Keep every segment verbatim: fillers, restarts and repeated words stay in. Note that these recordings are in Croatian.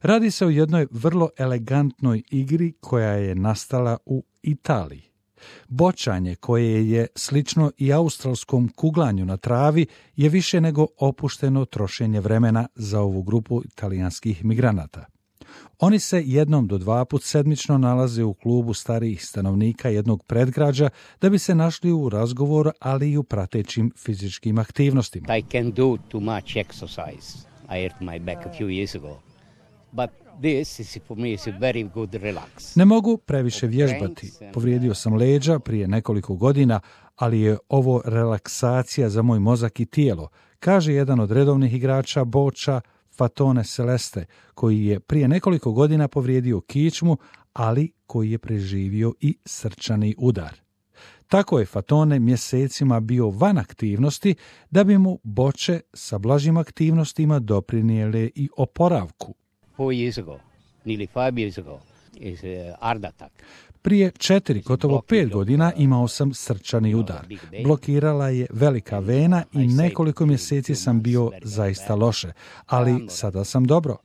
Radi se o jednoj vrlo elegantnoj igri koja je nastala u Italiji. Bočanje, koje je slično i australskom kuglanju na travi, je više nego opušteno trošenje vremena za ovu grupu italijanskih migranata. Oni se jednom do dva put sedmično nalaze u klubu starijih stanovnika jednog predgrađa da bi se našli u razgovoru, ali i u pratećim fizičkim aktivnostima. I can do too much exercise. I hurt my back a few years ago. But this is for me is a very good relax. Ne mogu previše vježbati. Povrijedio sam leđa prije nekoliko godina, ali je ovo relaksacija za moj mozak i tijelo, kaže jedan od redovnih igrača boča, Fatone Celeste, koji je prije nekoliko godina povrijedio kičmu, ali koji je preživio i srčani udar. Tako je Fatone mjesecima bio van aktivnosti da bi mu boče sa blažim aktivnostima doprinijele i oporavku. Four years ago, nearly five years ago, is a heart attack. Prije četiri, gotovo pet godina imao sam srčani udar. Blokirala je velika vena i nekoliko mjeseci sam bio zaista loše, ali sada sam dobro.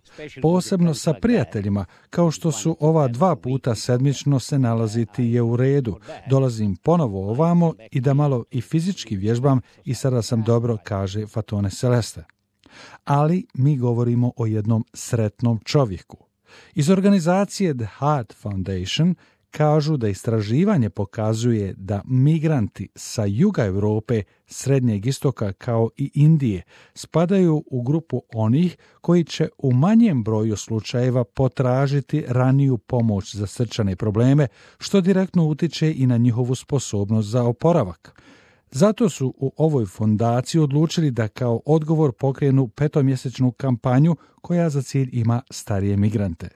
Posebno sa prijateljima, kao što su ova dva puta sedmično se nalaziti je u redu. Dolazim ponovo ovamo i da malo i fizički vježbam i sada sam dobro, kaže Fatone Celeste. Ali mi govorimo o jednom sretnom čovjeku. Iz organizacije The Heart Foundation kažu da istraživanje pokazuje da migranti sa juga Europe, Srednjeg istoka kao i Indije spadaju u grupu onih koji će u manjem broju slučajeva potražiti raniju pomoć za srčane probleme, što direktno utiče i na njihovu sposobnost za oporavak. Zato su u ovoj fondaciji odlučili da kao odgovor pokrenu petomjesečnu kampanju koja za cilj ima starije migrante.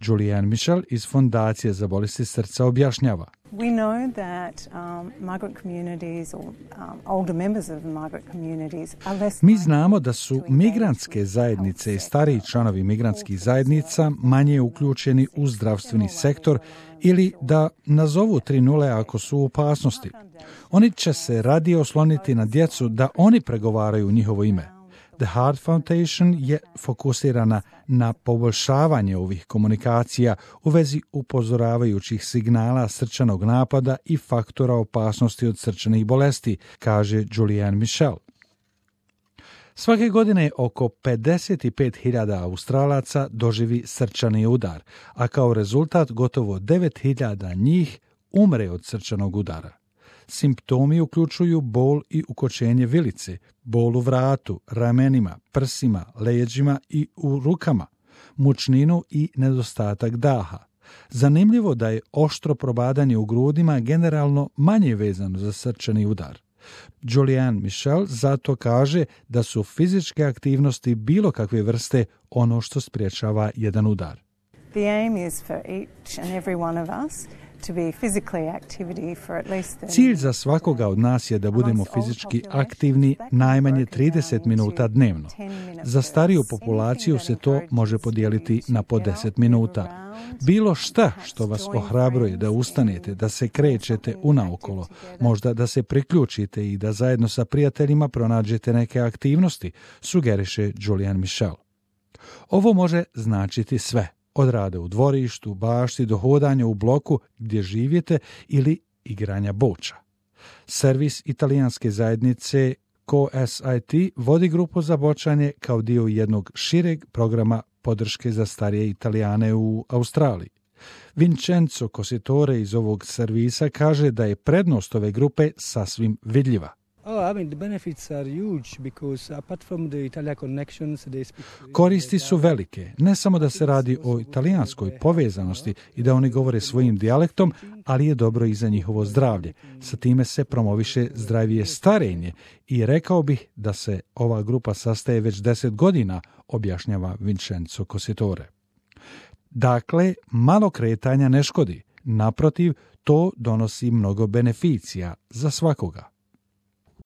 Julianne Michel iz Fondacije za bolesti srca objašnjava. We know that um, migrant communities or um, older members of migrant communities are less. Mi znamo da su migrantske zajednice i stariji članovi migrantskih zajednica manje uključeni u zdravstveni sektor ili da nazovu tri nule ako su u opasnosti. Oni će se radije osloniti na djecu da oni pregovaraju u njihovo ime. The Heart Foundation je fokusirana na poboljšavanje ovih komunikacija u vezi upozoravajućih signala srčanog napada i faktora opasnosti od srčanih bolesti, kaže Julianne Michel. Svake godine oko pedeset pet hiljada Australaca doživi srčani udar, a kao rezultat gotovo devet hiljada njih umre od srčanog udara. Simptomi uključuju bol i ukočenje vilice, bol u vratu, ramenima, prsima, leđima i u rukama, mučninu i nedostatak daha. Zanimljivo da je oštro probadanje u grudima generalno manje vezano za srčani udar. Julianne Michel zato kaže da su fizičke aktivnosti bilo kakve vrste ono što sprječava jedan udar. The aim is for each and every one of us to be physically activity for at least thirty. Cilj za svakoga od nas je da budemo fizički aktivni najmanje trideset minuta dnevno. Za stariju populaciju se to može podijeliti na po deset minuta. Bilo šta što vas ohrabruje da ustanete, da se krećete unaokolo, možda da se priključite i da zajedno sa prijateljima pronađete neke aktivnosti, sugeriše Julianne Michel. Ovo može značiti sve. Od rada u dvorištu, bašti do hodanja u bloku gdje živite ili igranja boča. Servis italijanske zajednice C O S I T vodi grupu za bočanje kao dio jednog šireg programa podrške za starije Italijane u Australiji. Vincenzo Cositore iz ovog servisa kaže da je prednost ove grupe sasvim vidljiva. Oh, I mean, the benefits are huge because apart from the Italia connections, they speak... Koristi su velike, ne samo da se radi o italijanskoj povezanosti i da oni govore svojim dijalektom, ali je dobro i za njihovo zdravlje. Sa time se promoviše zdravije starenje i rekao bih da se ova grupa sastaje već deset godina, objašnjava Vincenzo Cositore. Dakle, malo kretanja ne škodi. Naprotiv, to donosi mnogo beneficija za svakoga.